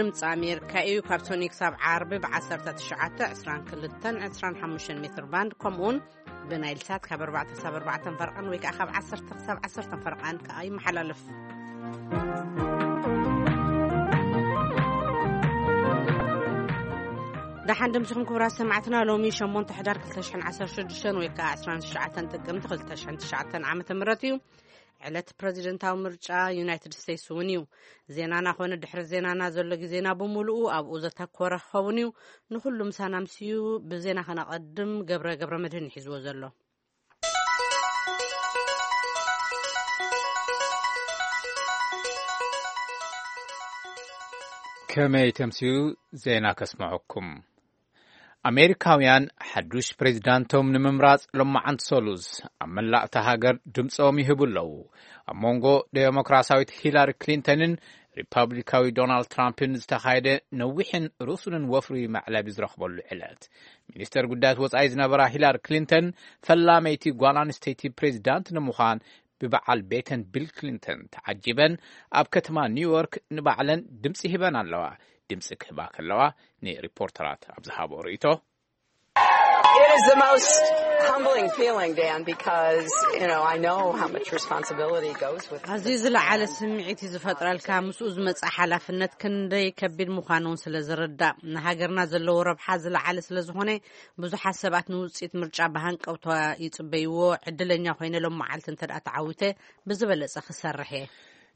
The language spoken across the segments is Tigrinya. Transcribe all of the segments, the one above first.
ድምፂ ኣሜሪካ እዩ። ካብ ሶኒ ክሳብ ዓርቢ ብ19፣ 22፣ 25 ሜትር ባንድ፣ ከምኡውን ብናይል ሳት ካብ ኣርባዕተ ክሳብ ኣርባዕተ ፈርቐን ወይ ከዓ ካብ ዓሰርተ ክሳብ ዓሰርተ ፈርቐን ከዓ ይመሓላለፍ። ደሓን ድምፅኹም ክቡራት ሰማዕትና። ሎሚ ሸሞንተ ሕዳር ክልተ ሽሕን ዓሰርተ ሽዱሽተን ወይ ከዓ ዕስራን ትሽዓተን ጥቅምቲ ክልተ ሽሕን ትሽዓተን ዓመተ ምህረት እዩ። ዕለት ፕረዚደንታዊ ምርጫ ዩናይትድ ስቴትስ እውን እዩ። ዜናና ኮነ ድሕሪ ዜናና ዘሎ ግዜና ብምሉኡ ኣብኡ ዘተኮረ ክኸውን እዩ። ንኹሉ ምሳና ምስዩ ብዜና ከነቐድም ገብረ ገብረ መድህን ይሒዝዎ ዘሎ። ከመይ ተምስዩ ዜና ከስምዐኩም። ኣሜሪካውያን ሓዱሽ ፕሬዚዳንቶም ንምምራጽ ሎማዓንቲ ሰሉስ ኣብ መላእታ ሃገር ድምጾም ይህቡ ኣለዉ። ኣብ መንጎ ዴሞክራሲያዊት ሂላሪ ክሊንተንን ሪፐብሊካዊ ዶናልድ ትራምፕን ዝተኻየደ ነዊሕን ርሱንን ወፍሪ መዕለቢ ዝረኽበሉ ዕለት፣ ሚኒስተር ጉዳያት ወጻኢ ዝነበራ ሂላሪ ክሊንተን ፈላመይቲ ጓል ኣንስተይቲ ፕሬዚዳንት ንምዃን ብበዓል ቤተን ቢል ክሊንተን ተዓጂበን ኣብ ከተማ ኒውዮርክ ንባዕለን ድምፂ ሂበን ኣለዋ። ድምፂ ክህባ ከለዋ ንሪፖርተራት ኣብ ዝሃቦ ርእይቶ፣ It is the most humbling feeling, Dan, because, you know, I know how much responsibility goes with ኣዝዩ ዝለዓለ ስምዒት እዩ ዝፈጥረልካ። ምስኡ ዝመጽእ ሓላፍነት ክንደይ ከቢድ ምዃኑ እውን ስለ ዝርዳእ፣ ንሃገርና ዘለዎ ረብሓ ዝለዓለ ስለ ዝኾነ፣ ብዙሓት ሰባት ንውጽኢት ምርጫ ብሃንቀውታ ይጽበይዎ። ዕድለኛ ኮይነ ሎም መዓልቲ እንተ ደኣ ተዓዊተ ብዝበለጸ ክሰርሕ እየ።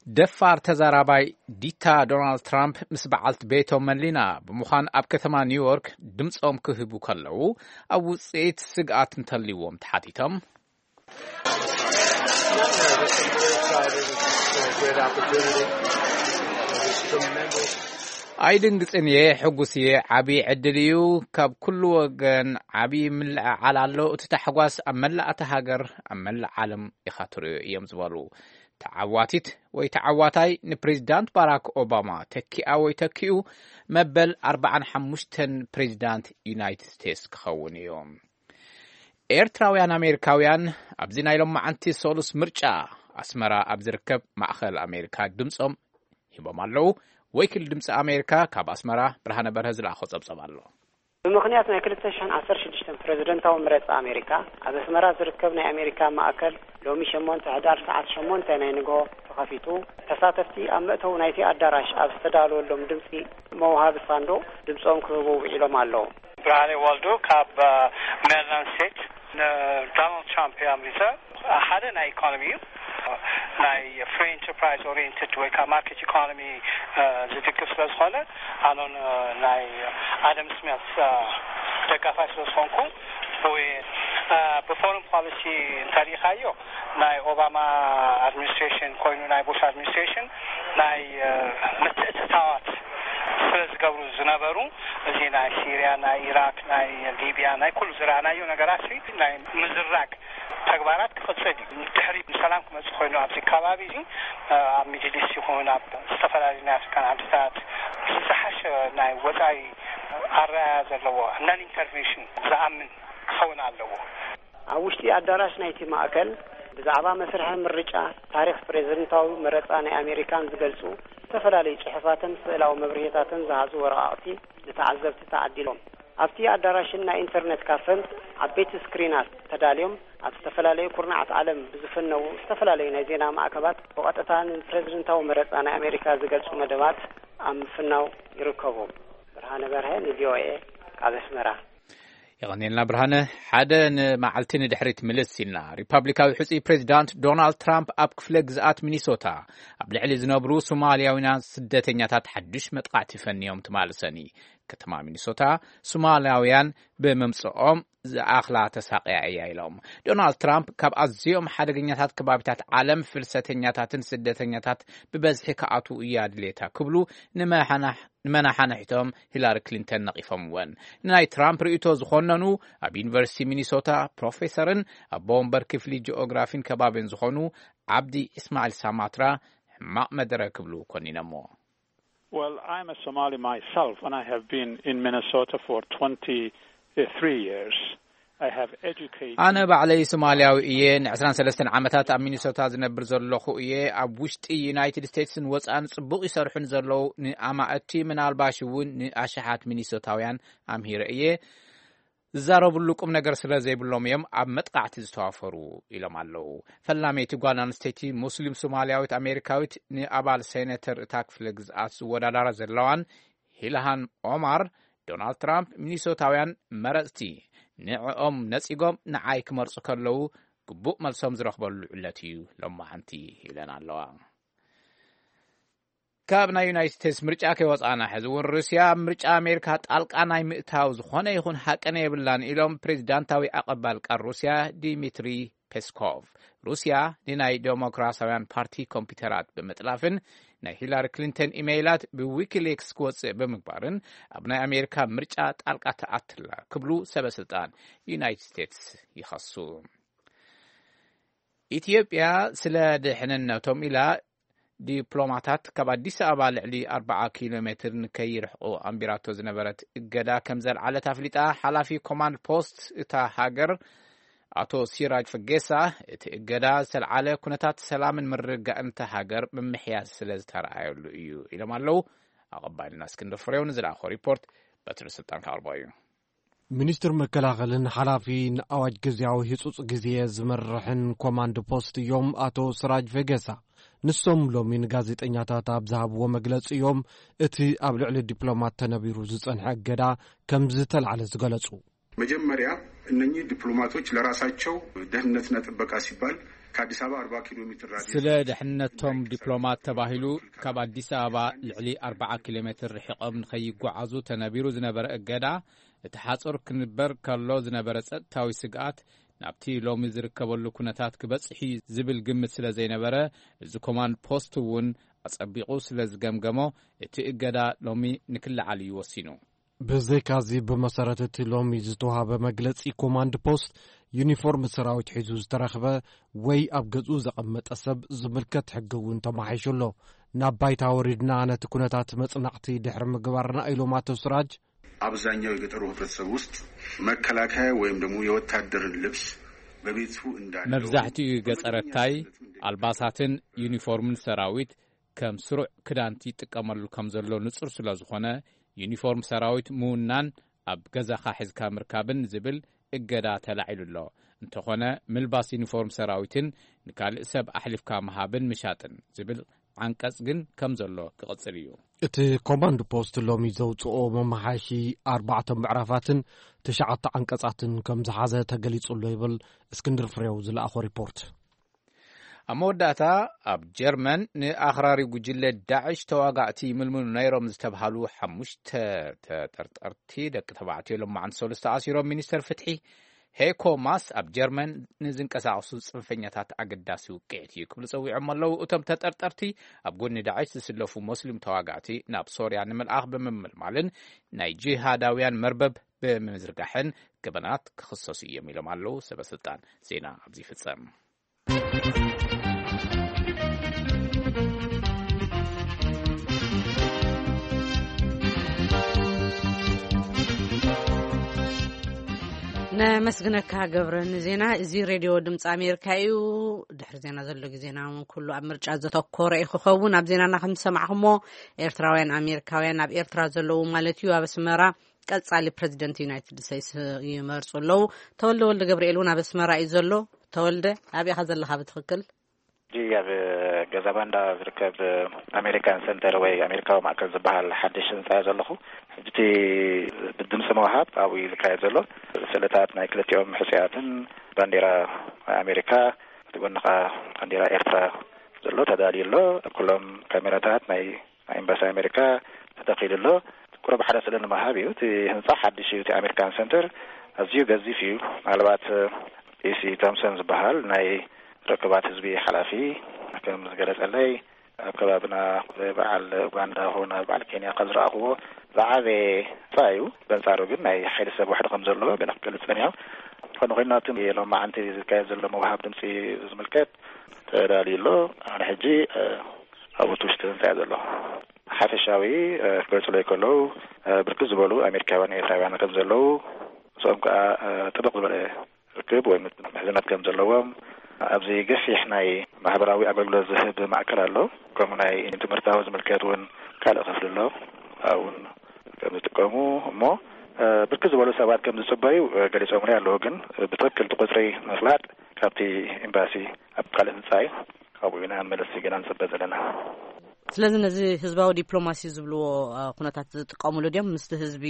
ደፋር ተዛራባይ ዲታ ዶናልድ ትራምፕ ምስ በዓልቲ ቤቶም መሊና ብምዃን ኣብ ከተማ ኒውዮርክ ድምፆም ክህቡ ከለዉ፣ ኣብ ውፅኢት ስግኣት እንተልይዎም ተሓቲቶም፣ ኣይድንግፅን እየ፣ ሕጉስ እየ። ዓብዪ ዕድል እዩ። ካብ ኩሉ ወገን ዓብዪ ምልዕዓል ኣሎ። እቲ ታሕጓስ ኣብ መላእ እታ ሃገር፣ ኣብ መላእ ዓለም ኢኻ ትርእዮ እዮም ዝበሉ። ተዓዋቲት ወይ ተዓዋታይ ንፕሬዚዳንት ባራክ ኦባማ ተኪኣ ወይ ተኪኡ መበል ኣርባዓን ሓሙሽተን ፕሬዚዳንት ዩናይትድ ስቴትስ ክኸውን እዩ። ኤርትራውያን ኣሜሪካውያን ኣብዚ ናይ ሎማዓንቲ ሰሉስ ምርጫ ኣስመራ ኣብ ዝርከብ ማእኸል ኣሜሪካ ድምፆም ሂቦም ኣለዉ። ወኪል ድምፂ ኣሜሪካ ካብ ኣስመራ ብርሃነ በርሀ ዝለኣኾ ፀብፀብ ኣሎ። ብምኽንያት ናይ ክልተ ሽሕን ዓሰርተ ሽዱሽተን ፕረዚደንታዊ መረፃ ኣሜሪካ፣ ኣብ ኣስመራ ዝርከብ ናይ ኣሜሪካ ማእከል ሎሚ ሸሞንተ ሕዳር ሰዓት ሸሞንተ ናይ ንግሆ ተኸፊቱ፣ ተሳተፍቲ ኣብ መእተዊ ናይቲ ኣዳራሽ ኣብ ዝተዳለወሎም ድምፂ መውሃቢ ሳንዱቕ ድምፆም ክህቡ ውዒሎም ኣለዉ። ብርሃነ ወልዱ ካብ፣ እ፣ ሜሪላንድ ስቴት። ንዶናልድ ትራምፕ እየ ኣምሪፀ። ሓደ ናይ ኢኮኖሚ እዩ። ናይ ፍሪ ኢንተርፕራይዝ ኦሪየንትድ ወይ ከዓ ማርኬት ኢኮኖሚ፣ እ፣ ዝድግፍ ስለ ዝኾነ፣ ኣነ ን-፣ ናይ ኣደም ስሚት፣ እ፣ ደጋፋይ ስለ ዝኾንኩ፣ ወይ፣ እ፣ ብፎረን ፖሊሲ እንተሪኢኻዮ፣ ናይ ኦባማ ኣድሚኒስትሬሽን ኮይኑ ናይ ቡሽ ኣድሚኒስትሬሽን ናይ፣ እ፣ ምትእትታዋት ስለ ዝገብሩ ዝነበሩ፣ እዚ ናይ ሲርያ፣ ናይ ኢራክ፣ ናይ ሊብያ፣ ናይ ኩሉ ዝረኣናዮ ነገራት፣ ናይ ምዝራግ ተግባራት ክቕጽል እዩ። ድሕሪ ሰላም ክመጽእ ኮይኑ ኣብዚ ከባቢ እዚ፣ እ፣ ኣብ ሚድል ኢስት ይኹን ኣብ ዝተፈላለዩ ናይ ኣፍሪካን ዓድታት ዝሓሸ ናይ ወጻኢ ኣረኣያ ዘለዎ፣ ናን ኢንተርቬንሽን ዝኣምን ክኸውን ኣለዎ። ኣብ ውሽጢ ኣዳራሽ ናይቲ ማእከል ብዛዕባ መስርሕ ምርጫ፣ ታሪኽ ፕሬዝደንታዊ መረጻ ናይ ኣሜሪካን ዝገልጹ ዝተፈላለዩ ጽሑፋትን ስእላዊ መብርሂታትን ዝሓዙ ወረቓቕቲ ንተዓዘብቲ ተዓዲሎም። ኣብቲ ኣዳራሽን ናይ ኢንተርነት ካፈን ዓበይቲ ስክሪናት ተዳልዮም፣ ኣብ ዝተፈላለዩ ኩርናዓት ዓለም ብዝፍነዉ ዝተፈላለዩ ናይ ዜና ማዕከባት ብቐጥታ ንፕሬዝደንታዊ መረጻ ናይ ኣሜሪካ ዝገልጹ መደባት ኣብ ምፍናው ይርከቡ። ብርሃነ በርሀ ንቪኦኤ ካብ ኣስመራ። የቐኔልና ብርሃነ። ሓደ ንመዓልቲ ንድሕሪት ምልስ ኢልና፣ ሪፓብሊካዊ ሕጹይ ፕሬዚዳንት ዶናልድ ትራምፕ ኣብ ክፍለ ግዝኣት ሚኒሶታ ኣብ ልዕሊ ዝነብሩ ሶማልያውያን ስደተኛታት ሓዱሽ መጥቓዕቲ ፈንዮም ትማሊ ሰኒ። ከተማ ሚኒሶታ ሶማልያውያን ብምምጽኦም ዝኣኽላ ተሳቕያ እያ ኢሎም። ዶናልድ ትራምፕ ካብ ኣዝዮም ሓደገኛታት ከባቢታት ዓለም ፍልሰተኛታትን ስደተኛታት ብበዝሒ ክኣትዉ እያ ድሌታ ክብሉ ንመሓናሕ-፣ ንመናሓንሕቶም ሂላሪ ክሊንተን ነቒፎምወን። ንናይ ትራምፕ ርእይቶ ዝኾነኑ ኣብ ዩኒቨርሲቲ ሚኒሶታ ፕሮፌሰርን ኣቦ ወንበር ክፍሊ ጂኦግራፊን ከባቢን ዝኾኑ ዓብዲ እስማዒል ሳማትራ ሕማቕ መደረ ክብሉ ኮኒነሞ። Well, I'm a Somali myself, and I have been in Minnesota for twenty-three years. I have educated ኣነ ባዕለይ ሶማልያዊ እየ። ን23 ዓመታት ኣብ ሚኒሶታ ዝነብር ዘለኹ እየ። ኣብ ውሽጢ ዩናይትድ ስቴትስን ወጻእን ጽቡቕ ይሰርሑ ንዘለዉ ንኣማእቲ፣ ምናልባሽ እውን ንኣሽሓት ሚኒሶታውያን ኣምሂረ እየ። ዝዛረብሉ ቁም ነገር ስለ ዘይብሎም እዮም ኣብ መጥቃዕቲ ዝተዋፈሩ ኢሎም ኣለዉ። ፈላመይቲ ጓል ኣንስተይቲ ሙስሊም ሶማልያዊት ኣሜሪካዊት ንኣባል ሴኔተር እታ ክፍለ ግዝኣት ዝወዳዳራ ዘለዋን ሂልሃን ኦማር፣ ዶናልድ ትራምፕ ሚኒሶታውያን መረጽቲ ንዕኦም ነጺጎም ንዓይ ክመርጹ ከለዉ ግቡእ መልሶም ዝረኽበሉ ዕለት እዩ ሎማዓንቲ ኢለን ኣለዋ። ካብ ናይ ዩናይትድ ስቴትስ ምርጫ ከይወጻና፣ ሕዚ እውን ሩስያ ኣብ ምርጫ ኣሜሪካ ጣልቃ ናይ ምእታው ዝኾነ ይኹን ሃቀነ የብላን ኢሎም ፕሬዚዳንታዊ ኣቐባል ቃል ሩስያ ዲሚትሪ ፔስኮቭ። ሩስያ ንናይ ዴሞክራሲያውያን ፓርቲ ኮምፒውተራት ብምጥላፍን ናይ ሂላሪ ክሊንተን ኢሜይላት ብዊኪሊክስ ክወጽእ ብምግባርን ኣብ ናይ ኣሜሪካ ምርጫ ጣልቃ ትኣትላ ክብሉ ሰበ ስልጣን ዩናይትድ ስቴትስ ይኸሱ። ኢትዮጵያ ስለ ድሕንነቶም ኢላ ዲፕሎማታት ካብ ኣዲስ ኣበባ ልዕሊ 40 ኪሎ ሜትር ንከይርሕቑ ኣንቢራቶ ዝነበረት እገዳ ከም ዘልዓለት ኣፍሊጣ። ሓላፊ ኮማንድ ፖስት እታ ሃገር ኣቶ ሲራጅ ፈጌሳ፣ እቲ እገዳ ዝተልዓለ ኩነታት ሰላምን ምርግጋእን እታ ሃገር ምምሕያሽ ስለ ዝተረኣየሉ እዩ ኢሎም ኣለዉ። ኣቐባይልና እስክንድር ፍሬው ንዝለኣኾ ሪፖርት በትሪ ስልጣን ከቕርቦ እዩ። ሚኒስትር መከላኸልን ሓላፊ ንኣዋጅ ግዝያዊ ህጹጽ ግዜ ዝመርሕን ኮማንድ ፖስት እዮም ኣቶ ስራጅ ቬጌሳ። ንሶም ሎሚ ንጋዜጠኛታት ኣብ ዝሃብዎ መግለጺ እዮም እቲ ኣብ ልዕሊ ዲፕሎማት ተነቢሩ ዝጸንሐ እገዳ ከም ዝተልዓለ ዝገለጹ። መጀመሪያ እነኚህ ዲፕሎማቶች ለራሳቸው ደህንነትና ጥበቃ ሲባል ከአዲስ አበባ 40 ኪሎ ሜትር ራዲየስ ስለ ድሕነቶም ዲፕሎማት ተባሂሉ ካብ ኣዲስ ኣበባ ልዕሊ 40 ኪሎ ሜትር ርሒቖም ንኸይጓዓዙ ተነቢሩ ዝነበረ እገዳ፣ እቲ ሓጹር ክንበር ከሎ ዝነበረ ጸጥታዊ ስግኣት ናብቲ ሎሚ ዝርከበሉ ኩነታት ክበጽሕ እዩ ዝብል ግምት ስለ ዘይነበረ፣ እዚ ኮማንድ ፖስት እውን ኣጸቢቑ ስለ ዝገምገሞ፣ እቲ እገዳ ሎሚ ንክለዓል እዩ ወሲኑ። ብዘይካዚ፣ ብመሰረት እቲ ሎሚ ዝተዋህበ መግለጺ ኮማንድ ፖስት፣ ዩኒፎርም ሰራዊት ሒዙ ዝተረኽበ ወይ ኣብ ገዝኡ ዘቐመጠ ሰብ ዝምልከት ሕጊ እውን ተማሒሹ ኣሎ። ናብ ባይታ ወሪድና ነቲ ኩነታት መጽናዕቲ ድሕሪ ምግባርና ኢሎም ኣቶ ስራጅ። አብዛኛው የገጠሩ ህብረተሰብ ውስጥ መከላከያ ወይም ደግሞ የወታደርን ልብስ በቤቱ እንዳለው መብዛሕትኡ ገጸረታይ ኣልባሳትን ዩኒፎርምን ሰራዊት ከም ስሩዕ ክዳንቲ ይጥቀመሉ ከም ዘሎ ንጹር ስለ ዝኾነ፣ ዩኒፎርም ሰራዊት ምውናን ኣብ ገዛኻ ሒዝካ ምርካብን ዝብል እገዳ ተላዒሉ ኣሎ። እንተኾነ፣ ምልባስ ዩኒፎርም ሰራዊትን ንካልእ ሰብ ኣሕሊፍካ ምሃብን ምሻጥን ዝብል ዓንቀጽ ግን ከም ዘሎ ክቕጽል እዩ። እቲ ኮማንድ ፖስት ሎሚ ዘውጽኦ መመሓየሺ ኣርባዕተ ምዕራፋትን ትሽዓተ ዓንቀጻትን ከም ዝሓዘ ተገሊጹ ኣሎ ይብል እስክንድር ፍሬው ዝለኣኾ ሪፖርት። ኣብ መወዳእታ፣ ኣብ ጀርመን ንኣኽራሪ ጉጅለ ዳዕሽ ተዋጋእቲ ይምልምሉ ነይሮም ዝተብሃሉ ሓሙሽተ ተጠርጠርቲ ደቂ ተባዕትዮ ሎማዓንቲ ሰሉስ ተኣሲሮም። ሚኒስተር ፍትሒ ሄኮ ማስ ኣብ ጀርመን ንዝንቀሳቐሱ ጽንፈኛታት ኣገዳሲ ውቅዒት እዩ ክብሉ ጸዊዖም ኣለዉ። እቶም ተጠርጠርቲ ኣብ ጎኒ ዳዕሽ ዝስለፉ ሞስሊም ተዋጋእቲ ናብ ሶርያ ንምልኣኽ ብምምልማልን ናይ ጂሃዳውያን መርበብ ብምዝርጋሕን ገበናት ክኽሰሱ እዮም ኢሎም ኣለዉ ሰበ ስልጣን። ዜና ኣብዚ ይፍጸም። ነመስግነካ ገብረ ንዜና። እዚ ሬድዮ ድምፂ ኣሜሪካ እዩ። ድሕሪ ዜና ዘሎ ግዜና እውን ኩሉ ኣብ ምርጫ ዘተኮረ እዩ ክኸውን። ኣብ ዜናና ከም ዝሰማዕኹሞ፣ ኤርትራውያን ኣሜሪካውያን ኣብ ኤርትራ ዘለዉ ማለት እዩ ኣብ ኣስመራ ቀጻሊ ፕረዚደንት ዩናይትድ ስቴትስ ይመርጹ ኣለዉ። ተወልደ ወልደ ገብርኤል እውን ኣብ ኣስመራ እዩ ዘሎ። ተወልደ፣ ኣበይ ኢኻ ዘለኻ ብትኽክል? ሕጂ ኣብ ገዛ ባንዳ ዝርከብ ኣሜሪካን ሰንተር ወይ ኣሜሪካዊ ማእከል ዝበሃል ሓድሽ ህንጻ እየ ዘለኹ። ሕጂ እቲ ብድምፂ ምውሃብ ኣብኡ እዩ ዝካየድ ዘሎ። ስእልታት ናይ ክልቲኦም ሕጹያትን ባንዴራ ኣሜሪካ፣ እቲ ጎኒ ኸዓ ባንዴራ ኤርትራ ዘሎ ተዳልዩ ኣሎ። ኩሎም ካሜራታት ናይ ናይ ኤምባሲ ኣሜሪካ ተተኺሉ ኣሎ። ቁሩብ ሓደ ስእሊ ንምሃብ እዩ። እቲ ህንጻ ሓድሽ እዩ። እቲ ኣሜሪካን ሰንተር ኣዝዩ ገዚፍ እዩ። ምናልባት ኢሲ ቶምሰን ዝበሃል ናይ ርክባት ህዝቢ ሓላፊ ከም ዝገለጸለይ፣ ኣብ ከባብና በዓል ኡጋንዳ ኹን ኣብ በዓል ኬንያ ካብ ዝረኣኽዎ ዝዓበየ ህንጻ እዩ። በንጻሩ ግን ናይ ሓይሊ ሰብ ውሕድ ከም ዘለዎ ገለ ክገልጽ ጸኒሑ። ዝኾነ ኮይኑ፣ ናብቲ ሎማዓንቲ ዝካየድ ዘሎ ምውሃብ ድምጺ ዝምልከት ተዳልዩ ኣሎ። ኣነ ሕጂ፣ እ፣ ኣብኡ እቲ ውሽጢ ህንጻ እየ ዘለኹ። ሓፈሻዊ፣ እ፣ ክገልጹለይ ከለዉ፣ እ፣ ብርክት ዝበሉ ኣሜሪካውያን ኤርትራውያን ከም ዘለዉ፣ ምስኦም ከዓ ጥብቕ ዝበለ ርክብ ወይ ምሕዝነት ከም ዘለዎም፣ ኣብዚ ገፊሕ ናይ ማሕበራዊ ኣገልግሎት ዝህብ ማእከል ኣሎ። ከምኡ ናይ ትምህርታዊ ዝምልከት እውን ካልእ ክፍሊ ኣሎ። ኣብኡ እውን ከም ዝጥቀሙ እሞ ብርክት ዝበሉ ሰባት ከም ዝፅበዩ ገሊፆምኒ ኣለዉ። ግን ብትክክል እቲ ቁፅሪ ምፍላጥ ካብቲ ኤምባሲ ኣብ ካልእ ህንፃ እዩ። ካብኡ ኢና መልሲ ገና ንፅበ ዘለና። ስለዚ ነዚ ህዝባዊ ዲፕሎማሲ ዝብልዎ ኩነታት ዝጥቀምሉ ድዮም? ምስቲ ህዝቢ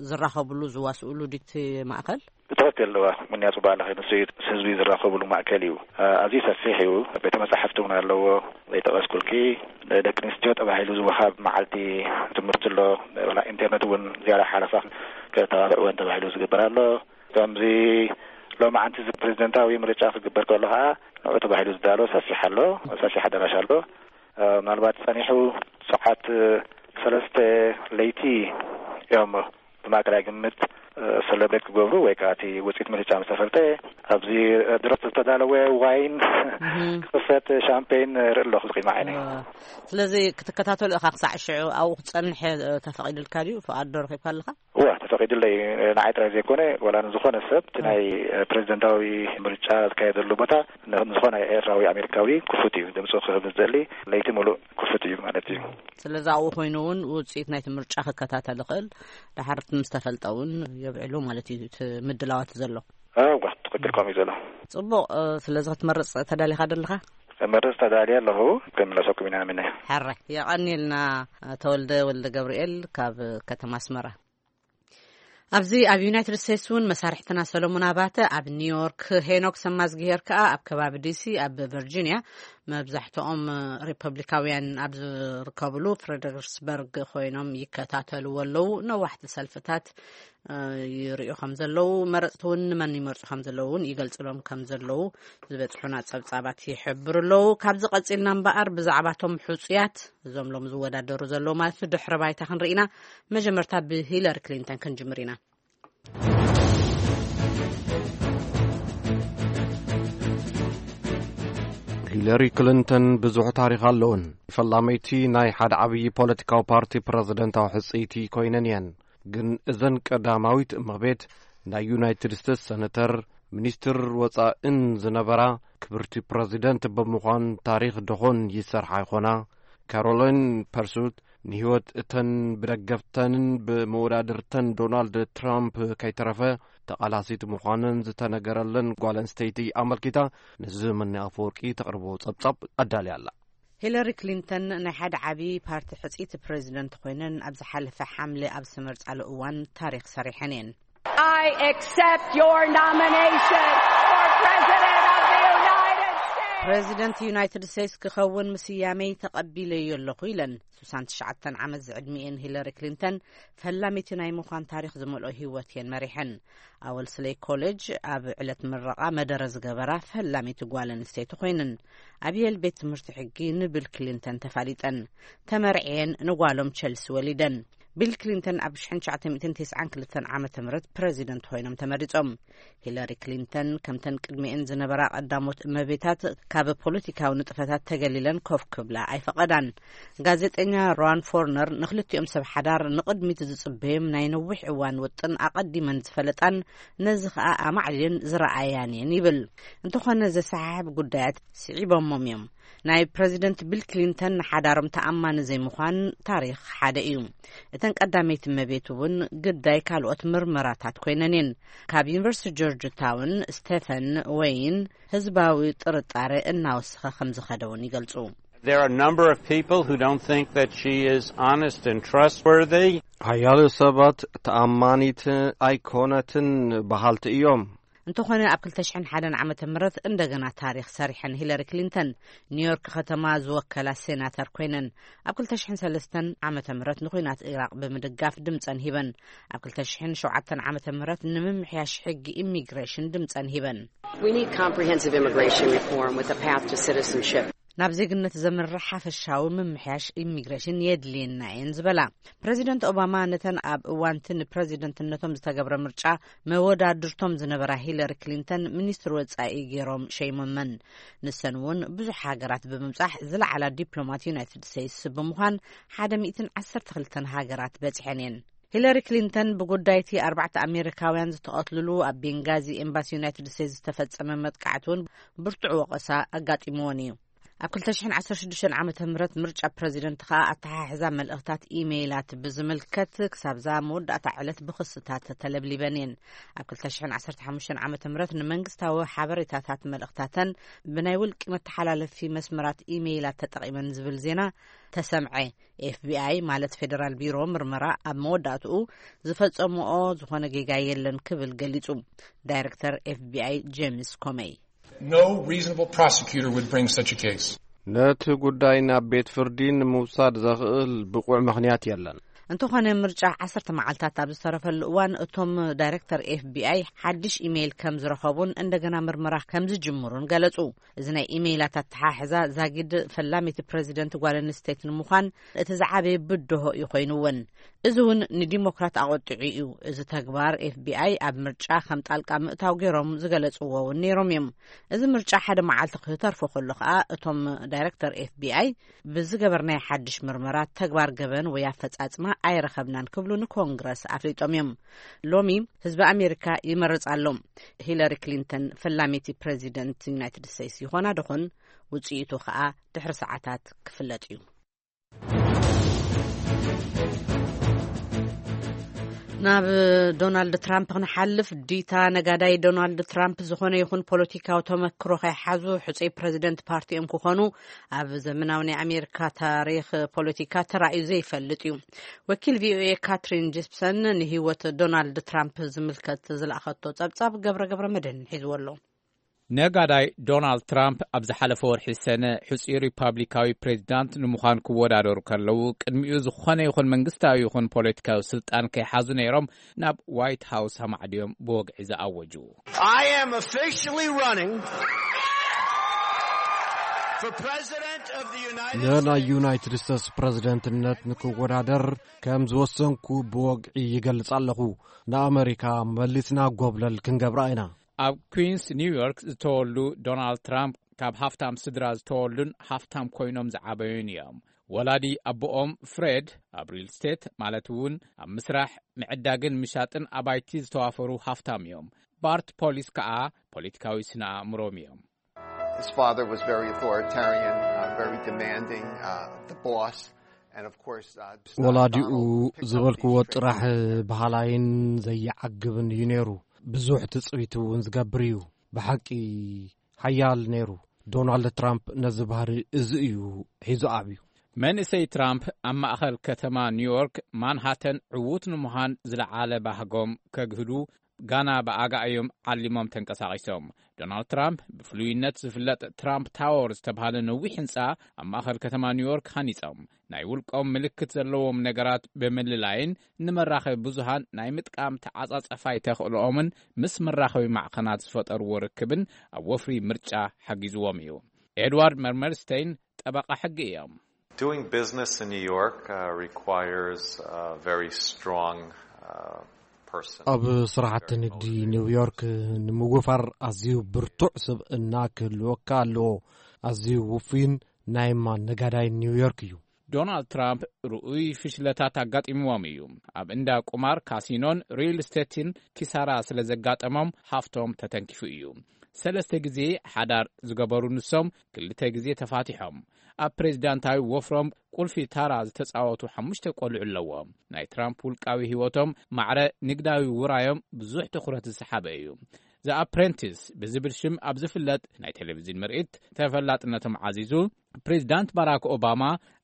ዝራኸብሉ ዝዋስእሉ ድቲ ማእከል? ብትክክል ኣለዋ። ምንያ ፅቡቅ ኣለኸ ንሱ እዩ ህዝቢ ዝራኸብሉ ማእከል እዩ። ኣዝዩ ሰፊሕ እዩ። ቤተ መጻሕፍቲ እውን ኣለዎ። ዘይጠቀስኩልኪ፣ ንደቂ ኣንስትዮ ተባሂሉ ዝወሃብ መዓልቲ ትምህርቲ ኣሎ። ኢንተርነት እውን ዝያዳ ሓለፋ ከተባብዕወን ተባሂሉ ዝግበር ኣሎ። ከምዚ ሎማዓንቲ እዚ ፕሬዚደንታዊ ምርጫ ክግበር ከሎ ከዓ ንዑ ተባሂሉ ዝዳሎ ሰፊሕ ኣሎ፣ ሰፊሕ ኣዳራሽ ኣሎ። ምናልባት ጸኒሑ ሰዓት ሰለስተ ለይቲ እዮም ብማእከላይ ግምት ሰለብሬት ክገብሩ ወይ ከዓ እቲ ውፅኢት ምርጫ ምስ ተፈልጠ ኣብዚ ድረስ ዝተዳለወ ዋይን ክኽፈት ሻምፔን ርኢ ኣለኹ ቅድሚ ዓይነይ። ስለዚ ክትከታተሉ ኢኻ ክሳዕ ሽዑ ኣብኡ ክትጸንሕ ተፈቒዱልካ ድዩ? ፍቓድ ዶ ረኺብካ ኣለኻ? እዋ ተፈቒዱለይ። ንዓይ ጥራይ ዘይኮነ ዋላ ንዝኾነ ሰብ እቲ ናይ ፕሬዚደንታዊ ምርጫ ዝካየደሉ ቦታ ንዝኾነ ኤርትራዊ ኣሜሪካዊ ክፉት እዩ። ድምፁ ክህብ ዝደሊ ለይቲ ሙሉእ ክፉት እዩ ማለት እዩ። ስለዚ ኣብኡ ኮይኑ እውን ውፅኢት ናይቲ ምርጫ ክከታተል ይኽእል። ድሓር ምስ ተፈልጠ እውን የብዕሉ ማለት እዩ እቲ ምድላዋት ዘሎ። እዋ ትኽክል ከምኡ እዩ ዘሎ። ፅቡቕ። ስለዚ ክትመርፅ ተዳሊኻ ደለኻ? መርፅ ተዳልየ ኣለኹ። ክምለሰኩም ኢና ምነ። ሕረ የቐንየልና። ተወልደ ወልደ ገብርኤል ካብ ከተማ ኣስመራ። ኣብዚ ኣብ ዩናይትድ ስቴትስ እውን መሳርሕትና ሰሎሞን ኣባተ ኣብ ኒውዮርክ፣ ሄኖክ ሰማዝግሄር ከኣ ኣብ ከባቢ ዲሲ ኣብ ቨርጂኒያ፣ መብዛሕትኦም ሪፐብሊካውያን ኣብ ዝርከብሉ ፍሬደሪክስበርግ ኮይኖም ይከታተልዎ ኣለዉ። ነዋሕቲ ሰልፍታት ይርእዩ ከም ዘለዉ፣ መረፅቲ እውን ንመን ይመርፁ ከም ዘለዉ እውን ይገልፅሎም ከም ዘለዉ ዝበፅሑና ፀብፃባት ይሕብሩ ኣለዉ። ካብዚ ቀፂልና እምበኣር ብዛዕባቶም ሕፁያት እዞም ሎም ዝወዳደሩ ዘለዉ ማለት ድሕረ ባይታ ክንርኢና፣ መጀመርታ ብሂለሪ ክሊንተን ክንጅምር ኢና። ሂለሪ ክሊንተን ብዙሕ ታሪኽ ኣለውን። ፈላመይቲ ናይ ሓደ ዓብዪ ፖለቲካዊ ፓርቲ ፕረዚደንታዊ ሕጽይቲ ኮይነን እየን። ግን እዘን ቀዳማዊት እመቤት ናይ ዩናይትድ ስቴትስ ሰነተር፣ ሚኒስትር ወጻእን ዝነበራ ክብርቲ ፕረዚደንት ብምዃን ታሪኽ ደኾን ይሰርሓ ይኾና። ካሮሊን ፐርሱት ንህይወት እተን ብደገፍተንን ብመወዳድርተን ዶናልድ ትራምፕ ከይተረፈ ተቓላሲት ምዃነን ዝተነገረለን ጓል ኣንስተይቲ ኣመልኪታ፣ ንዘመኒ ኣፈወርቂ ተቕርቦ ጸብጻብ ኣዳልያ ኣላ። ሂለሪ ክሊንተን ናይ ሓደ ዓቢ ፓርቲ ሕጽይቲ ፕረዚደንት ኮይነን ኣብ ዝሓለፈ ሓምለ ኣብ ዝተመርጻሉ እዋን ታሪኽ ሰሪሐን እየን። I accept your nomination for President of the United States. ፕረዚደንት ዩናይትድ ስቴትስ ክኸውን ምስያመይ ተቐቢለዮ ኣለኹ ኢለን። ሱሳን ትሽዓተን ዓመት ዝዕድሚኤን ሂለሪ ክሊንተን ፈላሚቲ ናይ ምዃን ታሪኽ ዝመልኦ ህይወት እየን መሪሐን። ኣብ ወልስለይ ኮሌጅ ኣብ ዕለት ምረቓ መደረ ዝገበራ ፈላሚቲ ጓል ኣንስተይቲ ኮይነን። ኣብ የል ቤት ትምህርቲ ሕጊ ንቢል ክሊንተን ተፋሊጠን። ተመርዕየን ንጓሎም ቸልሲ ወሊደን። ቢል ክሊንተን ኣብ ሽሕን ትሽዓተ ሚእትን ተስዓን ክልተን ዓመተ ምህረት ፕረዚደንት ኮይኖም ተመሪጾም። ሂለሪ ክሊንተን ከምተን ቅድሚኤን ዝነበራ ቀዳሞት እመቤታት ካብ ፖለቲካዊ ንጥፈታት ተገሊለን ኮፍ ክብላ ኣይፈቐዳን። ጋዜጠኛ ሮን ፎርነር ንክልቲኦም ሰብ ሓዳር ንቕድሚት ዝጽበዮም ናይ ነዊሕ እዋን ውጥን ኣቐዲመን ዝፈለጣን ነዚ ኸኣ ኣማዕቢለን ዝረኣያን እየን ይብል። እንተኾነ ዘሰሓሕብ ጉዳያት ስዒቦሞም እዮም። ናይ ፕረዚደንት ቢል ክሊንተን ንሓዳሮም ተኣማኒ ዘይምዃን ታሪኽ ሓደ እዩ። እተን ቀዳመይቲ እመቤት እውን ግዳይ ካልኦት ምርመራታት ኮይነን እየን። ካብ ዩኒቨርሲቲ ጆርጅ ታውን ስቴፈን ወይን ህዝባዊ ጥርጣረ እናወሰኸ ከም ዝኸደ እውን ይገልጹ። There are a number of people who don't think that she is honest and trustworthy. ሓያሎ ሰባት ተኣማኒት ኣይኮነትን በሃልቲ እዮም። እንተኾነ ኣብ ክልተ ሽሕን ሓደን ዓመተ ምህረት እንደገና ታሪኽ ሰሪሐን። ሂለሪ ክሊንተን ኒውዮርክ ከተማ ዝወከላ ሴናተር ኮይነን። ኣብ ክልተ ሽሕን ሰለስተን ዓመተ ምህረት ንኹናት ኢራቕ ብምድጋፍ ድምጸን ሂበን። ኣብ ክልተ ሽሕን ሸውዓተን ዓመተ ምህረት ንምምሕያሽ ሕጊ ኢሚግሬሽን ድምጸን ሂበን። We need comprehensive immigration reform with a path to citizenship. ናብ ዜግነት ዘምርሕ ሓፈሻዊ ምምሕያሽ ኢሚግሬሽን የድልየና እየን ዝበላ ፕረዚደንት ኦባማ፣ ነተን ኣብ እዋንቲ ንፕረዚደንትነቶም ዝተገብረ ምርጫ መወዳድርቶም ዝነበራ ሂለሪ ክሊንተን ሚኒስትር ወጻኢ ገይሮም ሸይሞመን። ንሰን እውን ብዙሕ ሃገራት ብምብጻሕ ዝለዓላ ዲፕሎማት ዩናይትድ ስቴትስ ብምዃን ሓደ ሚእትን ዓሰርተ ክልተን ሃገራት በጺሐን እየን። ሂለሪ ክሊንተን ብጉዳይቲ ኣርባዕተ ኣሜሪካውያን ዝተቐትልሉ ኣብ ቤንጋዚ ኤምባሲ ዩናይትድ ስቴትስ ዝተፈጸመ መጥቃዕቲ እውን ብርቱዕ ወቐሳ ኣጋጢምዎን እዩ። ኣብ ክልተ ሽሕን ዓሰርተ ሽዱሽተን ዓመተ ምህረት ምርጫ ፕረዚደንት ከኣ ኣተሓሕዛ መልእኽታት ኢሜይላት ብዝምልከት ክሳብዛ መወዳእታ ዕለት ብኽስታት ተለብሊበን እየን። ኣብ ክልተ ሽሕን ዓሰርተ ሓሙሽተን ዓመተ ምህረት ንመንግስታዊ ሓበሬታታት መልእኽታተን ብናይ ውልቂ መተሓላለፊ መስመራት ኢሜይላት ተጠቒመን ዝብል ዜና ተሰምዐ። ኤፍቢኣይ ማለት ፌደራል ቢሮ ምርመራ ኣብ መወዳእትኡ ዝፈጸምኦ ዝኾነ ጌጋ የለን ክብል ገሊጹ። ዳይሬክተር ኤፍቢኣይ ጄምስ ኮመይ No reasonable prosecutor would bring such a case. ነቲ ጉዳይ ናብ ቤት ፍርዲ ንምውሳድ ዘኽእል ብቑዕ ምኽንያት የለን። እንተኾነ ምርጫ ዓሰርተ መዓልታት ኣብ ዝተረፈሉ እዋን እቶም ዳይሬክተር ኤፍቢኣይ ሓድሽ ኢሜይል ከም ዝረኸቡን እንደገና ምርመራ ከም ዝጅምሩን ገለጹ። እዚ ናይ ኢሜይላት ኣተሓሕዛ ዛጊድ ፈላሚቲ ፕረዚደንት ጓል ኣንስተይቲ ንምዃን እቲ ዝዓበየ ብድሆ እዩ ኮይኑውን። እዚ እውን ንዲሞክራት ኣቆጢዑ እዩ። እዚ ተግባር ኤፍቢኣይ ኣብ ምርጫ ከም ጣልቃ ምእታው ገይሮም ዝገለጽዎ እውን ነይሮም እዮም። እዚ ምርጫ ሓደ መዓልቲ ክተርፎ ከሎ ከኣ እቶም ዳይሬክተር ኤፍቢኣይ ብዝገበርናይ ሓድሽ ምርመራ ተግባር ገበን ወይ ኣፈጻጽማ ኣይረኸብናን ክብሉ ንኮንግረስ ኣፍሊጦም እዮም። ሎሚ ህዝቢ ኣሜሪካ ይመርጽ ኣሎ። ሂለሪ ክሊንተን ፈላሚቲ ፕረዚደንት ዩናይትድ ስቴትስ ይኾና ደኾን? ውጽኢቱ ከኣ ድሕሪ ሰዓታት ክፍለጥ እዩ። ናብ ዶናልድ ትራምፕ ክንሓልፍ፣ ዲታ ነጋዳይ ዶናልድ ትራምፕ ዝኾነ ይኹን ፖለቲካዊ ተመክሮ ከይሓዙ ሕጹይ ፕረዚደንት ፓርቲኦም ክኾኑ ኣብ ዘመናዊ ናይ ኣሜሪካ ታሪኽ ፖለቲካ ተራእዩ ዘይፈልጥ እዩ። ወኪል ቪኦኤ ካትሪን ጂፕሰን ንህይወት ዶናልድ ትራምፕ ዝምልከት ዝለኣኸቶ ጸብጻብ ገብረ ገብረ መድህን ሒዝዎ ኣሎ። ነጋዳይ ዶናልድ ትራምፕ ኣብ ዝሓለፈ ወርሒ ሰነ ሕጹይ ሪፓብሊካዊ ፕሬዚዳንት ንምዃን ክወዳደሩ ከለዉ፣ ቅድሚኡ ዝኾነ ይኹን መንግስታዊ ይኹን ፖለቲካዊ ስልጣን ከይሓዙ ነይሮም ናብ ዋይት ሃውስ ኣማዕድዮም ብወግዒ ዝኣወጁ። I am officially running for President of the United ንናይ ዩናይትድ ስቴትስ ፕረዚደንትነት ንክወዳደር ከም ዝወሰንኩ ብወግዒ ይገልጽ ኣለኹ። ንኣመሪካ መሊስና ጎብለል ክንገብራ ኢና። ኣብ ኩንስ ኒውዮርክ ዝተወልዱ ዶናልድ ትራምፕ ካብ ሃፍታም ስድራ ዝተወልዱን ሃፍታም ኮይኖም ዝዓበዩን እዮም። ወላዲ ኣቦኦም ፍሬድ ኣብ ሪል ስቴት ማለት እውን ኣብ ምስራሕ፣ ምዕዳግን ምሻጥን ኣባይቲ ዝተዋፈሩ ሃፍታም እዮም። ባርት ፖሊስ ከኣ ፖለቲካዊ ስነ ኣእምሮም እዮም። His father was very authoritarian, uh, very demanding, uh, the boss. And of course, uh, ወላዲኡ ዝበልክዎ ጥራሕ በሃላይን ዘየዓግብን እዩ ነይሩ። ብዙሕ ትጽቢት እውን ዝገብር እዩ። ብሓቂ ሓያል ነይሩ። ዶናልድ ትራምፕ ነዚ ባህሪ እዚ እዩ ሒዙ ኣብዩ። መንእሰይ ትራምፕ ኣብ ማእኸል ከተማ ኒውዮርክ ማንሃተን ዕዉት ንምዃን ዝለዓለ ባህጎም ከግህዱ ጋና ብኣጋ እዮም ዓሊሞም ተንቀሳቒሶም። ዶናልድ ትራምፕ ብፍሉይነት ዝፍለጥ ትራምፕ ታወር ዝተባህለ ነዊሕ ህንፃ ኣብ ማእኸል ከተማ ኒውዮርክ ሃኒፆም። ናይ ውልቆም ምልክት ዘለዎም ነገራት ብምልላይን ንመራኸቢ ብዙሃን ናይ ምጥቃም ተዓፃፀፋይ ተኽእሎኦምን ምስ መራኸቢ ማዕኸናት ዝፈጠርዎ ርክብን ኣብ ወፍሪ ምርጫ ሓጊዝዎም እዩ። ኤድዋርድ መርመርስቴይን ጠበቓ ሕጊ እዮም። Doing business in New York uh, requires a very strong uh, person. ኣብ ስራሕቲ ንግዲ ኒውዮርክ ንምውፋር ኣዝዩ ብርቱዕ ስብእና ክህልወካ ኣለዎ። ኣዝዩ ውፉይን ናይ ማን ነጋዳይ ኒውዮርክ እዩ። ዶናልድ ትራምፕ ርኡይ ፍሽለታት ኣጋጢምዎም እዩ። ኣብ እንዳ ቁማር፣ ካሲኖን ሪል ስቴትን ኪሳራ ስለ ዘጋጠሞም ሃፍቶም ተተንኪፉ እዩ። ሰለስተ ግዜ ሓዳር ዝገበሩ ንሶም ክልተ ግዜ ተፋቲሖም። ኣብ ፕሬዚዳንታዊ ወፍሮም ቁልፊ ታራ ዝተጻወቱ ሓሙሽተ ቆልዑ ኣለዎም። ናይ ትራምፕ ውልቃዊ ህይወቶም ማዕረ ንግዳዊ ውራዮም ብዙሕ ትኹረት ዝሰሓበ እዩ። ዘ ኣፕሬንቲስ ብዝብል ሽም ኣብ ዝፍለጥ ናይ ቴሌቪዝን ምርኢት ተፈላጥነቶም ዓዚዙ፣ ፕሬዚዳንት ባራክ ኦባማ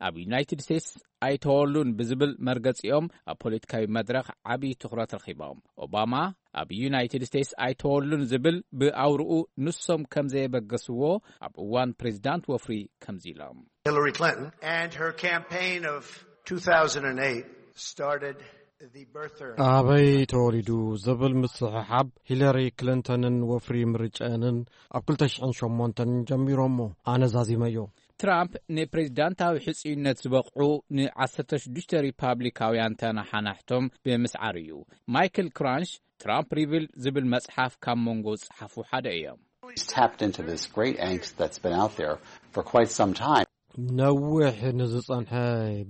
ኣብ ዩናይትድ ስቴትስ ኣይተወሉን ብዝብል መርገጺኦም ኣብ ፖለቲካዊ መድረኽ ዓብዪ ትኹረት ረኺቦም። ኦባማ ኣብ ዩናይትድ ስቴትስ ኣይተወሉን ዝብል ብኣውርኡ ንሶም ከም ዘየበገስዎ ኣብ እዋን ፕሬዚዳንት ወፍሪ ከምዚ ኢሎም። Hillary Clinton and her campaign of two thousand eight started the birther. ኣበይ ተወሊዱ ዝብል ምስሕሓብ ሂለሪ ክሊንተንን ወፍሪ ምርጫንን ኣብ ክልተ ሽሕን ሸሞንተን ጀሚሮሞ። ኣነ ዛዚመዮ። ትራምፕ ንፕሬዚዳንታዊ ሕጽይነት ዝበቕዑ ንዓሰርተ ሽዱሽተ ሪፓብሊካውያን ተነሓናሕቶም ብምስዓር እዩ። ማይክል ክራንሽ ትራምፕ ሪቪል ዝብል መጽሓፍ ካብ መንጎ ዝጸሓፉ ሓደ እዮም። He's tapped into this great angst that's been out there for quite some time. ነዊሕ ንዝጸንሐ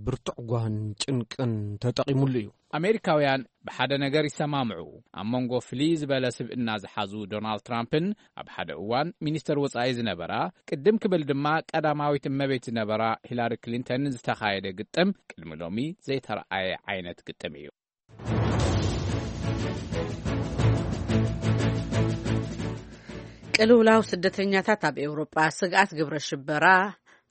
ብርቱዕ ጓህን ጭንቅን ተጠቒሙሉ እዩ። ኣሜሪካውያን ብሓደ ነገር ይሰማምዑ። ኣብ መንጎ ፍልይ ዝበለ ስብእና ዝሓዙ ዶናልድ ትራምፕን ኣብ ሓደ እዋን ሚኒስተር ወጻኢ ዝነበራ፣ ቅድም ክብል ድማ ቀዳማዊት እመቤት ዝነበራ ሂላሪ ክሊንተንን ዝተኻየደ ግጥም ቅድሚ ሎሚ ዘይተረኣየ ዓይነት ግጥም እዩ። ቅልውላው ስደተኛታት ኣብ ኤውሮጳ፣ ስግኣት ግብረ ሽበራ፣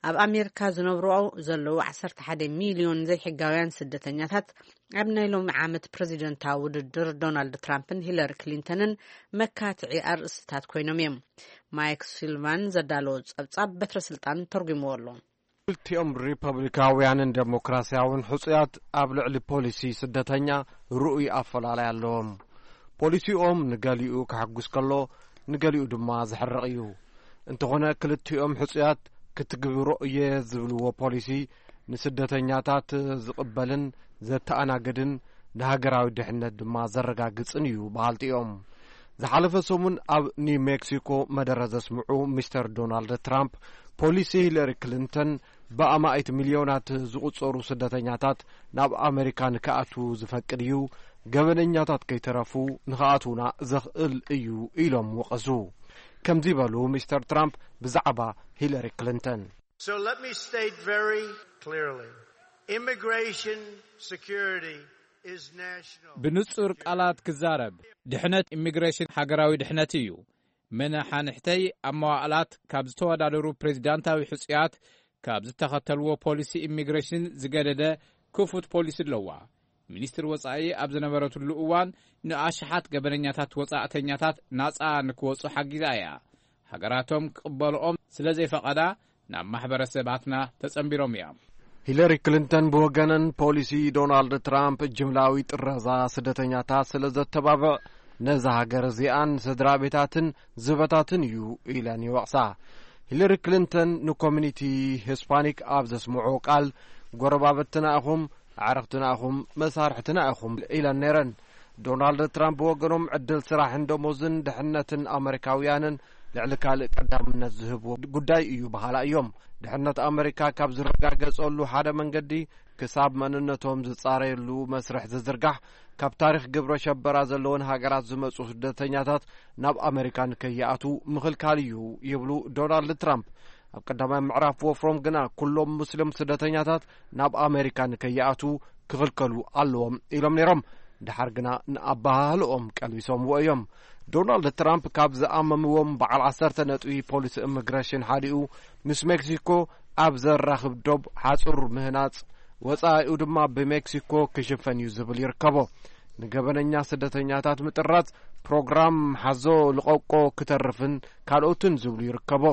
ኣብ ኣሜሪካ ዝነብሩ ዘለዉ ዓሰርተ ሓደ ሚልዮን ዘይሕጋውያን ስደተኛታት ኣብ ናይ ሎሚ ዓመት ፕረዚደንታዊ ውድድር ዶናልድ ትራምፕን ሂለሪ ክሊንተንን መካትዒ ኣርእስትታት ኮይኖም እዮም። ማይክ ሲልቫን ዘዳለዎ ጸብጻብ በትረ ስልጣን ተርጉምዎ ኣሎ። ክልቲኦም ሪፐብሊካውያንን ዴሞክራሲያውን ሕጹያት ኣብ ልዕሊ ፖሊሲ ስደተኛ ርኡይ ኣፈላላይ ኣለዎም። ፖሊሲኦም ንገሊኡ ከሐጉስ ከሎ፣ ንገሊኡ ድማ ዘሕርቕ እዩ። እንተኾነ፣ ክልቲኦም ሕጹያት ክትግብሮ እየ ዝብልዎ ፖሊሲ ንስደተኛታት ዝቕበልን ዘተኣናግድን ንሃገራዊ ድሕነት ድማ ዘረጋግጽን እዩ በሃልቲ እዮም። ዝሓለፈ ሰሙን ኣብ ኒው ሜክሲኮ መደረ ዘስምዑ ሚስተር ዶናልድ ትራምፕ፣ ፖሊሲ ሂለሪ ክሊንተን ብኣማኢት ሚልዮናት ዝቑጸሩ ስደተኛታት ናብ ኣመሪካ ንክኣትዉ ዝፈቅድ እዩ፣ ገበነኛታት ከይተረፉ ንክኣትዉና ዘኽእል እዩ ኢሎም ወቐሱ። ከምዚ በሉ ሚስተር ትራምፕ ብዛዕባ ሂለሪ ክሊንተን። So let me state very clearly, immigration security is national. ብንጹር ቃላት ክዛረብ፣ ድሕነት ኢሚግሬሽን ሃገራዊ ድሕነት እዩ። መነሓንሕተይ ኣብ መዋእላት ካብ ዝተወዳደሩ ፕሬዚዳንታዊ ሕጹያት ካብ ዝተኸተልዎ ፖሊሲ ኢሚግሬሽን ዝገደደ ክፉት ፖሊሲ ኣለዋ። ሚኒስትር ወጻኢ ኣብ ዝነበረትሉ እዋን ንኣሽሓት ገበነኛታት ወጻእተኛታት ናጻ ንክወጹ ሓጊዛ እያ። ሃገራቶም ክቕበልኦም ስለ ዘይፈቐዳ ናብ ማሕበረሰባትና ተጸንቢሮም እዮም። ሂለሪ ክሊንተን ብወገነን ፖሊሲ ዶናልድ ትራምፕ ጅምላዊ ጥረዛ ስደተኛታት ስለ ዘተባብዕ ነዛ ሃገር እዚኣን ስድራ ቤታትን ዝበታትን እዩ ኢለን ይወቕሳ። ሂለሪ ክሊንተን ንኮሚኒቲ ሂስፓኒክ ኣብ ዘስምዖ ቃል ጎረባብትና ኢኹም፣ ኣዕርኽትና ኢኹም፣ መሳርሕትና ኢኹም ኢለን ነይረን። ዶናልድ ትራምፕ ብወገኖም ዕድል ስራሕን ደሞዝን ድሕነትን ኣመሪካውያንን ልዕሊ ካልእ ቀዳምነት ዝህብዎ ጉዳይ እዩ በሃላ እዮም። ድሕነት ኣመሪካ ካብ ዝረጋገጸሉ ሓደ መንገዲ ክሳብ መንነቶም ዝጻረየሉ መስርሕ ዝዝርጋሕ ካብ ታሪኽ ግብረ ሸበራ ዘለወን ሃገራት ዝመጹ ስደተኛታት ናብ ኣመሪካ ንከይኣትዉ ምኽልካል እዩ ይብሉ ዶናልድ ትራምፕ። ኣብ ቀዳማይ ምዕራፍ ወፍሮም ግና ኩሎም ሙስሊም ስደተኛታት ናብ ኣመሪካ ንከይኣትዉ ክኽልከሉ ኣለዎም ኢሎም ነይሮም። ድሓር ግና ንኣበሃህልኦም ቀልቢሶምዎ እዮም። ዶናልድ ትራምፕ ካብ ዝኣመምዎም በዓል ዓሰርተ ነጥቢ ፖሊሲ ኢሚግሬሽን ሓዲኡ ምስ ሜክሲኮ ኣብ ዘራኽብ ዶብ ሓጹር ምህናጽ፣ ወጻኢኡ ድማ ብሜክሲኮ ክሽፈን እዩ ዝብል ይርከቦ። ንገበነኛ ስደተኛታት ምጥራዝ ፕሮግራም ሓዞ ልቐቆ ክተርፍን ካልኦትን ዝብሉ ይርከቦ።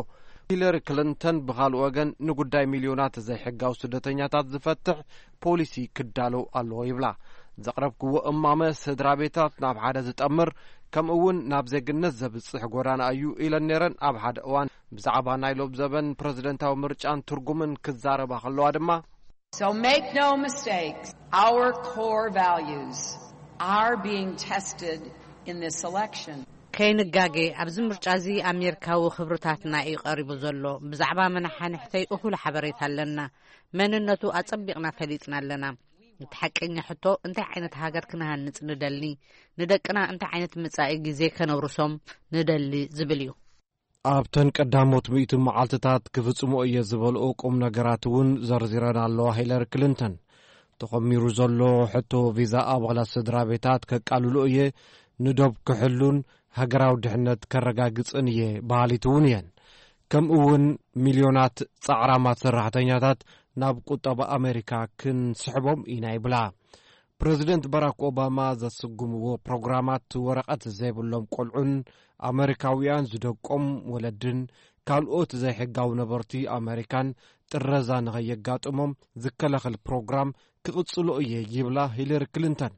ሂለሪ ክሊንተን ብኻልእ ወገን ንጉዳይ ሚልዮናት ዘይሕጋዊ ስደተኛታት ዝፈትሕ ፖሊሲ ክዳሎ ኣለዎ ይብላ። ዘቕረብክዎ እማመ ስድራ ቤታት ናብ ሓደ ዝጠምር ከምኡ እውን ናብ ዜግነት ዘብጽሕ ጎዳና እዩ ኢለን ነይረን። ኣብ ሓደ እዋን ብዛዕባ ናይ ሎም ዘበን ፕረዚደንታዊ ምርጫን ትርጉምን ክዛረባ ከለዋ ድማ So make no mistake, our core values are being tested in this election. ከይንጋጌ ኣብዚ ምርጫ እዚ ኣሜሪካዊ ክብርታትና እዩ ቀሪቡ ዘሎ። ብዛዕባ መናሓንሕተይ እኹል ሓበሬታ ኣለና። መንነቱ ኣጸቢቕና ፈሊጥና ኣለና። እቲ ሓቀኛ ሕቶ እንታይ ዓይነት ሃገር ክንሃንጽ ንደሊ፣ ንደቅና እንታይ ዓይነት መጻኢ ግዜ ከነውርሶም ንደሊ ዝብል እዩ። ኣብተን ቀዳሞት ሚእቲ መዓልትታት ክፍጽሞ እየ ዝበልኦ ቁም ነገራት እውን ዘርዚረን ኣለዋ ሂለሪ ክሊንተን። ተኾሚሩ ዘሎ ሕቶ ቪዛ ኣባላት ስድራ ቤታት ከቃልሎ እየ፣ ንዶብ ክሕሉን ሃገራዊ ድሕነት ከረጋግጽን እየ በሃሊት እውን እየን። ከምኡ እውን ሚልዮናት ጻዕራማት ሰራሕተኛታት ናብ ቁጠባ ኣሜሪካ ክንስሕቦም ኢና ይብላ። ፕረዚደንት ባራክ ኦባማ ዘስጉምዎ ፕሮግራማት ወረቐት ዘይብሎም ቆልዑን ኣመሪካውያን ዝደቆም ወለድን ካልኦት ዘይሕጋዊ ነበርቲ ኣመሪካን ጥረዛ ንኸየጋጥሞም ዝከላኸል ፕሮግራም ክቕጽሎ እየ ይብላ ሂለሪ ክሊንተን።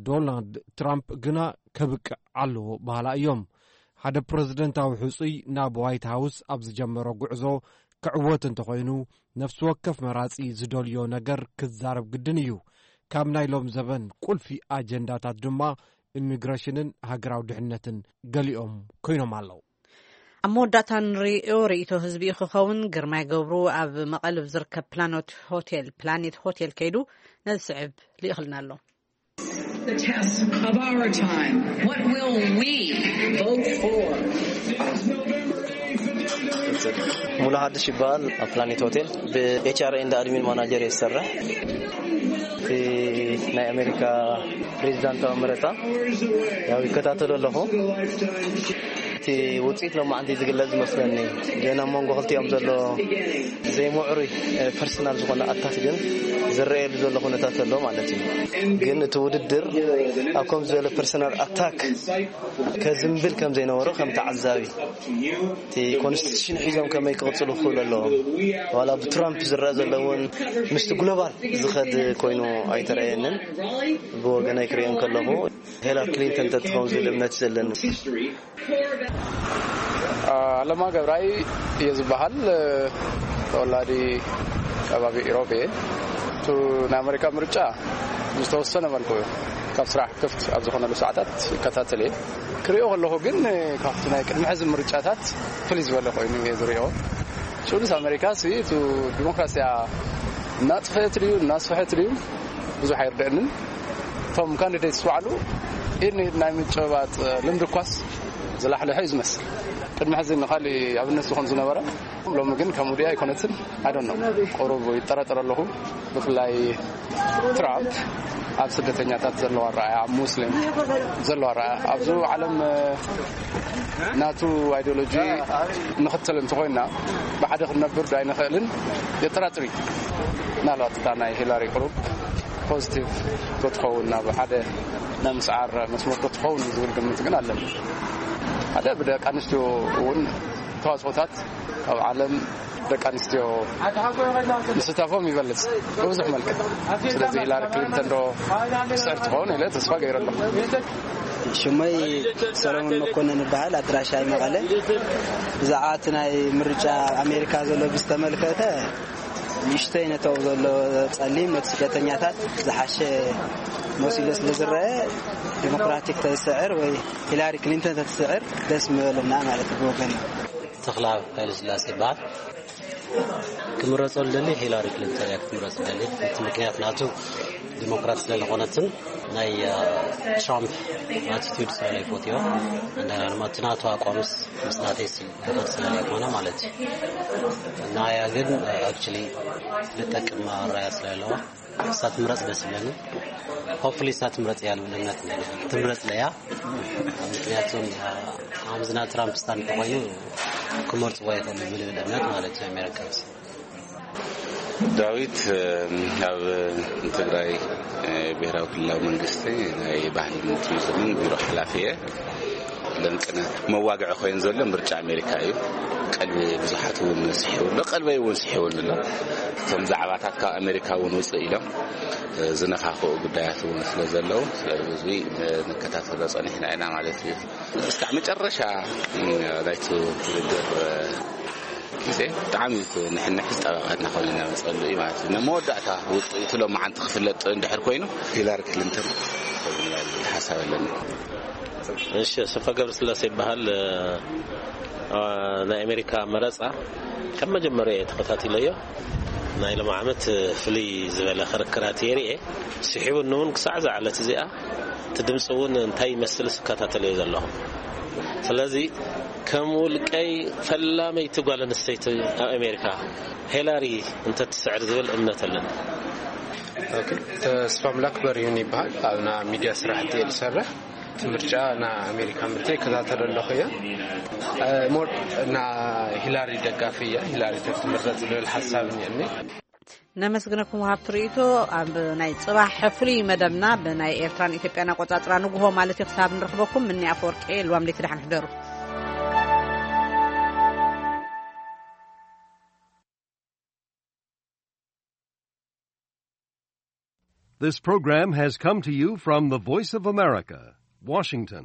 ዶናልድ ትራምፕ ግና ከብቅዕ ኣለዎ በሃላ እዮም። ሓደ ፕረዚደንታዊ ሕጹይ ናብ ዋይት ሃውስ ኣብ ዝጀመሮ ጉዕዞ ክዕወት እንተኾይኑ፣ ነፍሲ ወከፍ መራጺ ዝደልዮ ነገር ክዛረብ ግድን እዩ። ካብ ናይ ሎም ዘበን ቁልፊ ኣጀንዳታት ድማ ኢሚግሬሽንን ሃገራዊ ድሕነትን ገሊኦም ኮይኖም ኣለዉ። ኣብ መወዳእታ ንሪኦ ርእይቶ ህዝቢ ክኸውን ግርማይ ገብሩ ኣብ መቐልብ ዝርከብ ፕላኖት ሆቴል ፕላኔት ሆቴል ከይዱ ነዚ ስዕብ ልኢኽልና ኣሎ። The test of our time. What will we vote for? ሙሉ ሓድሽ ይበሃል። ኣብ ፕላኔት ሆቴል ብኤችኣር ኤንድ ኣድሚን ማናጀር እየ ዝሰርሕ። እቲ ናይ ኣሜሪካ ፕሬዚዳንታዊ መረፃ ያው ይከታተሎ ኣለኹ። እቲ ውፅኢት ሎማዓንቲ ዝግለፅ ዝመስለኒ ግን ኣብ መንጎ ክልቲኦም ዘሎ ዘይምዕሩይ ፐርሰናል ዝኾነ ኣታክ ግን ዝረኣየሉ ዘሎ ኩነታት ኣሎ ማለት እዩ። ግን እቲ ውድድር ኣብ ከም ዝበለ ፐርሰናል ኣታክ ከዝንብል ከም ዘይነበሮ ከም ተዓዛቢ እቲ ኮንስቲቱሽን ሒዞም ከመይ ክቕፅሉ ክኽእሉ ኣለዎም። ዋላ ብትራምፕ ዝረአ ዘሎ እውን ምስቲ ግሎባል ዝኸድ ኮይኑ ኣይተረኣየንን። ብወገነይ ክሪኦ ከለኹ ሄላር ክሊንተን ተትኸውን ዝብል እምነት ዘለኒ። ኣለማ ገብራይ እየ ዝበሃል። ተወላዲ ከባቢ ኢሮብ እየ። እቲ ናይ ኣሜሪካ ምርጫ ዝተወሰነ መልኩ ካብ ስራሕ ክፍት ኣብ ዝኾነሉ ሰዓታት ይከታተል እየ። ክሪኦ ከለኹ ግን ካብቲ ናይ ቅድሚ ሕዚ ምርጫታት ፍልይ ዝበለ ኮይኑ እየ ዝሪኦ። ሱሉስ ኣሜሪካ ሲ እቲ ዲሞክራሲያ እናጥፈአት ድዩ እናስፈሐት ድዩ ብዙሕ ኣይርድአንን። እቶም ካንዲዴትስ ባዕሉ ኢድ ንኢድ ናይ ምጭባጥ ልምዲ እኳስ ዝላሕለሐ እዩ ዝመስል። ቅድሚ ሕዚ ንካሊእ ኣብነት ዝኾን ዝነበረ ሎሚ ግን ከምኡ ድያ ኣይኮነትን። ኣይዶን ነው ቁሩብ ይጠራጠር ኣለኹ። ብፍላይ ትራምፕ ኣብ ስደተኛታት ዘለዋ ኣረኣያ ኣብ ሙስሊም ዘለዋ ኣረኣያ ኣብዚ ዓለም ናቱ ኣይዲዮሎጂ ንኽተል እንተኾይና ብሓደ ክንነብር ዶ ኣይንኽእልን የጠራጥር እዩ። ምናልባት እታ ናይ ሂላሪ ቅሩብ ፖዚቲቭ ዶ ትኸውን ናብ ሓደ ናይ ምስዓር መስመር ዶ ትኸውን ዝብል ግምት ግን ኣለኒ። ሓደ ብደቂ ኣንስትዮ እውን ተዋፅኦታት ኣብ ዓለም ደቂ ኣንስትዮ ምስታፎም ይበልፅ ብብዙሕ መልክዕ። ስለዚ ሂላሪ ክሊንተን ዶ ትስዕር ትኸውን ኢለ ተስፋ ገይረ ኣለኹ። ሽመይ ሰሎሞን መኮንን ይበሃል። ኣድራሻይ መቐለ። ብዛዕባ እቲ ናይ ምርጫ ኣሜሪካ ዘሎ ብዝተመልከተ ንእሽተይ ነቶም ዘሎ ጸሊም ነቲ ስደተኛታት ዝሓሸ መሲሉ ስለ ዝረአ ዲሞክራቲክ ተዝስዕር ወይ ሂላሪ ክሊንተን ተትስዕር ደስ ምበለና ማለት ብወገን እዩ። ተኽላ ኃይለስላሴ ይበሃል። ክምረጸሉ ደሊ ሂላሪ ክሊንተን እያ ክትምረጽ ደሊ። እቲ ምክንያት ናቱ ዲሞክራት ስለ ዝኾነትን ናይ ትራምፕ ኣቲቱድ ስለ ዘይፈትዮ እንደገና ድማ እቲ ናቱ ኣቋምስ ምስ ናተይ ዝኸድ ስለ ዘይኮነ ማለት እዩ። ናያ ግን ኣክቹሊ ልጠቅም ኣራያ ስለ ኣለዋ እሳ ትምረጽ ደስ ይብለኒ። ሆፕፉሊ እሳ ትምረጽ እያ ልብል እምነት ኣለኒ። ትምረጽ ለያ ምክንያቱም ኣምዝና ትራምፕ ስታንድ ተኮይኑ ክመርጽዎ ይኽእሉ ብልብል እምነት ማለት እዩ ኣሜሪካንስ። ዳዊት ኣብ ትግራይ ብሔራዊ ክልላዊ መንግስቲ ናይ ባህልን ቱሪዝምን ቢሮ ሓላፊ እየ። ለንቅነ መዋግዒ ኮይኑ ዘሎ ምርጫ ኣሜሪካ እዩ። ቀልቢ ብዙሓት እውን ስሒቡ ኣሎ፣ ቀልበይ እውን ስሒቡኒ ኣሎ። እቶም ዛዕባታት ካብ ኣሜሪካ እውን ውፅእ ኢሎም ዝነኻኽኡ ጉዳያት እውን ስለ ዘለዉ ስለዚ ንከታተሎ ፀኒሕና ኢና ማለት እዩ። እስካዕ መጨረሻ ናይቲ ውድድር ግዜ ብጣዕሚ ንሕንሕ ዝጠበቐ እናኾነ እናመፀሉ እዩ ማለት እዩ። መወዳእታ ውፅኢቱ ሎማዓንቲ ክፍለጥ እንድሕር ኮይኑ ሂላሪ ክሊንተን ሓሳብ ኣለኒ። እሺ ሰፋ ገብረስላሴ ይበሃል። ናይ ኣሜሪካ መረፃ ካብ መጀመሪያ እየ ተኸታቲለዮ። ናይ ሎም ዓመት ፍልይ ዝበለ ክርክራት የርኤ ስሒቡኒ እውን ክሳዕ ዝዓለት እዚኣ እቲ ድምፂ እውን እንታይ ይመስል ስከታተል እየ ዘለኹ። ስለዚ ከም ውልቀይ ፈላመይቲ ጓል ኣንስተይቲ ኣብ ኣሜሪካ ሄላሪ እንተትስዕር ዝብል እምነት ኣለኒ። ተስፋ ምላክ በሪሁን ይበሃል ኣብና ሚድያ ስራሕቲ እየ ዝሰርሕ። እቲ ምርጫ ና ኣሜሪካ ምርጫ ይከታተሎ ኣለኹ እየ። ሞር ና ሂላሪ ደጋፊ እያ። ሂላሪ ተትምረፅ ዝብል ሓሳብ እኒአኒ። ነመስግነኩም ሃብቲ ርእይቶ። ኣብ ናይ ፅባሕ ፍሉይ መደብና ብናይ ኤርትራን ኢትዮጵያን ኣቆፃፅራ ንጉሆ ማለት እዩ ክሳብ ንረኽበኩም ምኒ ኣፈወርቂ ልዋም ለይቲ ደሓን ሕደሩ። This program has come to you from the Voice of America, Washington.